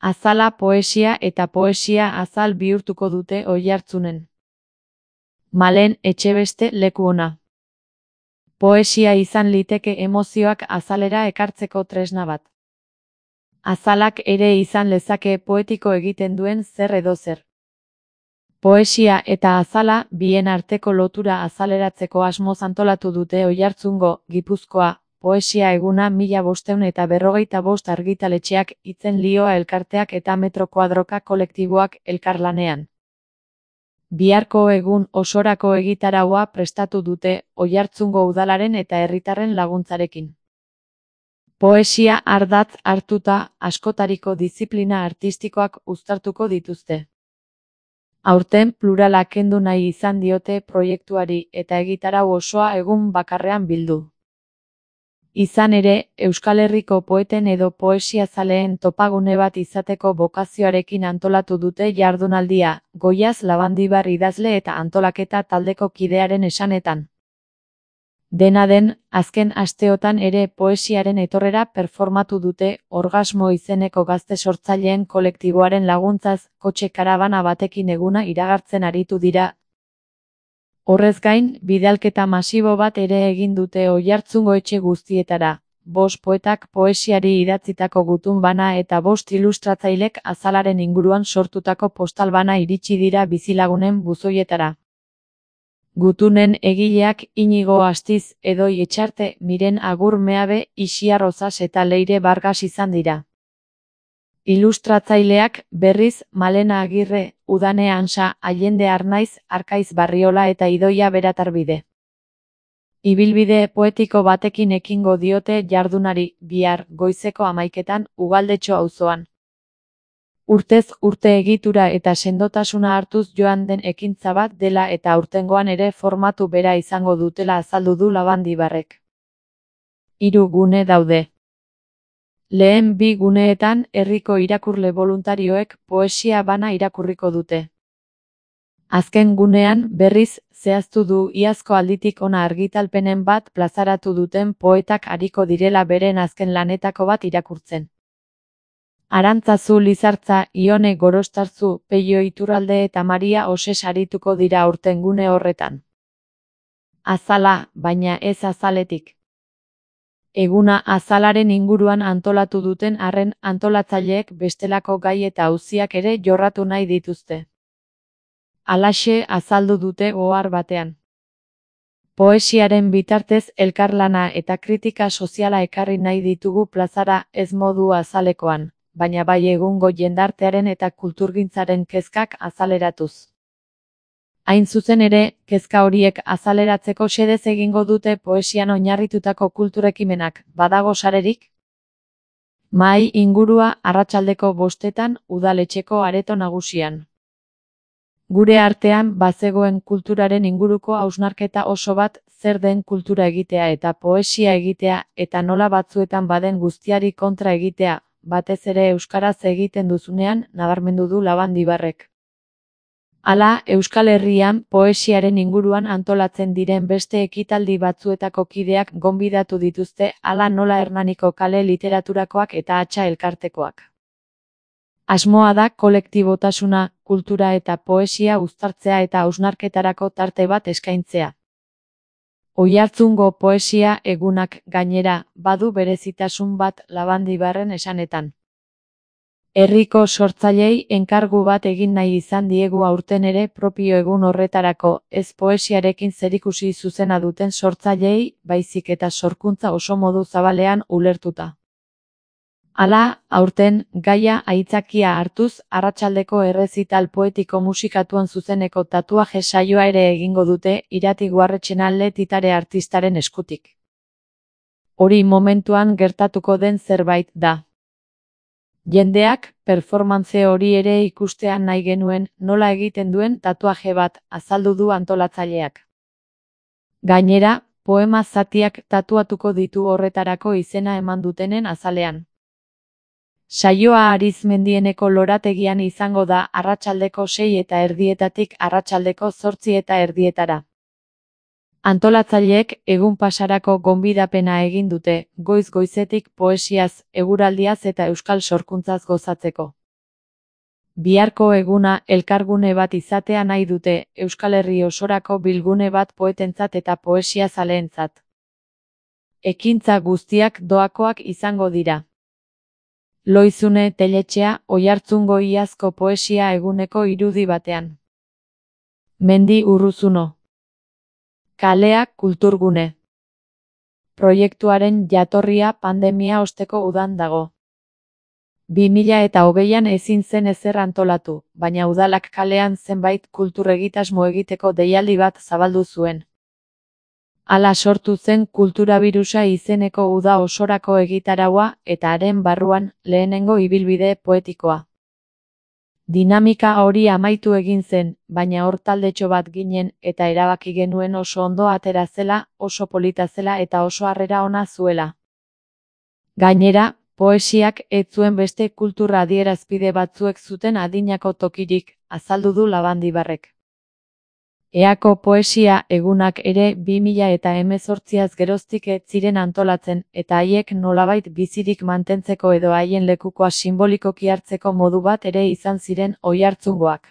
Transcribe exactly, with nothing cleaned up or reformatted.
Azala poesia eta poesia azal bihurtuko dute Oiartzunen. Malen Etxebeste leku ona. Poesia izan liteke emozioak azalera ekartzeko tresna bat. Azalak ere izan lezake poetiko egiten duen zer edo zer. Poesia eta azala bien arteko lotura azaleratzeko asmoz antolatu dute Oiartzungo, Gipuzkoa, poesia eguna mila bosteun eta berrogeita bost argitaletxeak, Itzen Lioa elkarteak eta Metro Kuadroka kolektiboak elkarlanean. Biharko egun osorako egitaraua prestatu dute Oiartzungo udalaren eta herritarren laguntzarekin. Poesia ardatz hartuta askotariko diziplina artistikoak uztartuko dituzte. Aurten plurala kendu nahi izan diote proiektuari eta egitarau osoa egun bakarrean bildu. Izan ere, Euskal Herriko poeten edo poesiazaleen topagune bat izateko bokazioarekin antolatu dute jardunaldia, Goiaz Labandibar idazle eta antolaketa taldeko kidearen esanetan. Dena den, azken asteotan ere poesiaren etorrera performatu dute Orgasmo izeneko gazte sortzaileen kolektiboaren laguntzaz, kotxe karabana batekin eguna iragartzen aritu dira. Horrez gain, bidalketa masibo bat ere egin dute Oiartzungo etxe guztietara, bost poetak poesiari idatzitako gutun bana eta bost ilustratzailek azalaren inguruan sortutako postal bana iritsi dira bizilagunen buzoietara. Gutunen egileak Inigo Astiz, Edoi Etxarte, Miren Agur Meabe, Ixiar Rozas eta Leire Bargas izan dira. Ilustratzaileak, berriz, Malena Agirre, Udane Ansa, Allende Arnaiz, Arkaiz Barriola eta Idoia Beratarbide. Ibilbide poetiko batekin ekingo diote jardunari, bihar, goizeko hamaiketan, Ugaldetxo auzoan. Urtez urte egitura eta sendotasuna hartuz joan den ekintza bat dela eta aurtengoan ere formatu bera izango dutela azaldu du Labandibarrek. Hiru gune daude. Lehen bi guneetan herriko irakurle boluntarioek poesia bana irakurriko dute. Azken gunean, berriz, zehaztu du iazko alditik ona argitalpenen bat plazaratu duten poetak ariko direla beren azken lanetako bat irakurtzen. Arantzazu Lizartza, Ione Gorostarzu, Peio Iturralde eta Maria Oses arituko dira aurten gune horretan. Azala, baina ez azaletik. Eguna azalaren inguruan antolatu duten arren antolatzaileek bestelako gai eta auziak ere jorratu nahi dituzte. Halaxe azaldu dute ohar batean. Poesiaren bitartez elkarlana eta kritika soziala ekarri nahi ditugu plazara ez modu azalekoan, baina bai egungo jendartearen eta kulturgintzaren kezkak azaleratuz. Hain zuzen ere, kezka horiek azaleratzeko xedez egingo dute poesian oinarritutako kulturekimenak, badago sarerik? Mahai ingurua arratsaldeko bostetan udaletxeko areto nagusian. Gure artean bazegoen kulturaren inguruko hausnarketa oso bat, zer den kultura egitea eta poesia egitea eta nola batzuetan baden guztiari kontra egitea, batez ere euskaraz egiten duzunean, nabarmendu du Labandibarrek. Hala, Euskal Herrian poesiaren inguruan antolatzen diren beste ekitaldi batzuetako kideak gonbidatu dituzte, hala nola Hernaniko kale literaturakoak eta Hatxa elkartekoak. Asmoa da kolektibotasuna, kultura eta poesia uztartzea eta hausnarketarako tarte bat eskaintzea. Oiartzungo poesia egunak, gainera, badu berezitasun bat Labandibarren esanetan. Herriko sortzailei enkargu bat egin nahi izan diegu aurten ere propio egun horretarako, ez poesiarekin zerikusi zuzena duten sortzailei, baizik eta sorkuntza oso modu zabalean ulertuta. Hala, aurten, gaia aitzakia hartuz, arratsaldeko errezital poetiko musikatuan zuzeneko tatuaje saioa ere egingo dute, Irati Guarretxenalde titare artistaren eskutik. Hori momentuan gertatuko den zerbait da. Jendeak, performance hori ere ikustea nahi genuen, nola egiten duen tatuaje bat, azaldu du antolatzaileak. Gainera, poema zatiak tatuatuko ditu horretarako izena eman dutenen azalean. Saioa Arizmendieneko lorategian izango da arratsaldeko sei eta erdietatik arratsaldeko zortzi eta erdietara. Antolatzaileek egun pasarako gonbidapena egin dute, goiz-goizetik poesiaz, eguraldiaz eta euskal sorkuntzaz gozatzeko. Biharko eguna elkargune bat izatea nahi dute, Euskal Herri osorako bilgune bat poetentzat eta poesia zaleentzat. Ekintza guztiak doakoak izango dira. Loizune Teletxea, Oiartzungo iazko poesia eguneko irudi batean. Mendi Urruzuno. Kalea kulturgune. Proiektuaren jatorria pandemia osteko udan dago. bi mila eta hogeian ezin zen ezer antolatu, baina udalak kalean zenbait kulturregitasmo egiteko deialdi bat zabaldu zuen. Hala sortu zen Kulturabirusa izeneko uda osorako egitaraua eta haren barruan lehenengo ibilbide poetikoa. Dinamika hori amaitu egin zen, baina hor taldetxo bat ginen eta erabaki genuen oso ondo atera zela, oso polita zela eta oso harrera ona zuela. Gainera, poesiak ez zuen beste kultura adierazpide batzuek zuten adinako tokirik, azaldu du Labandibarrek. Eako poesia egunak ere bi mila eta hemezortziaz geroztik ez ziren antolatzen eta haiek nolabait bizirik mantentzeko edo haien lekukoa sinbolikoki hartzeko modu bat ere izan ziren Oiartzungoak.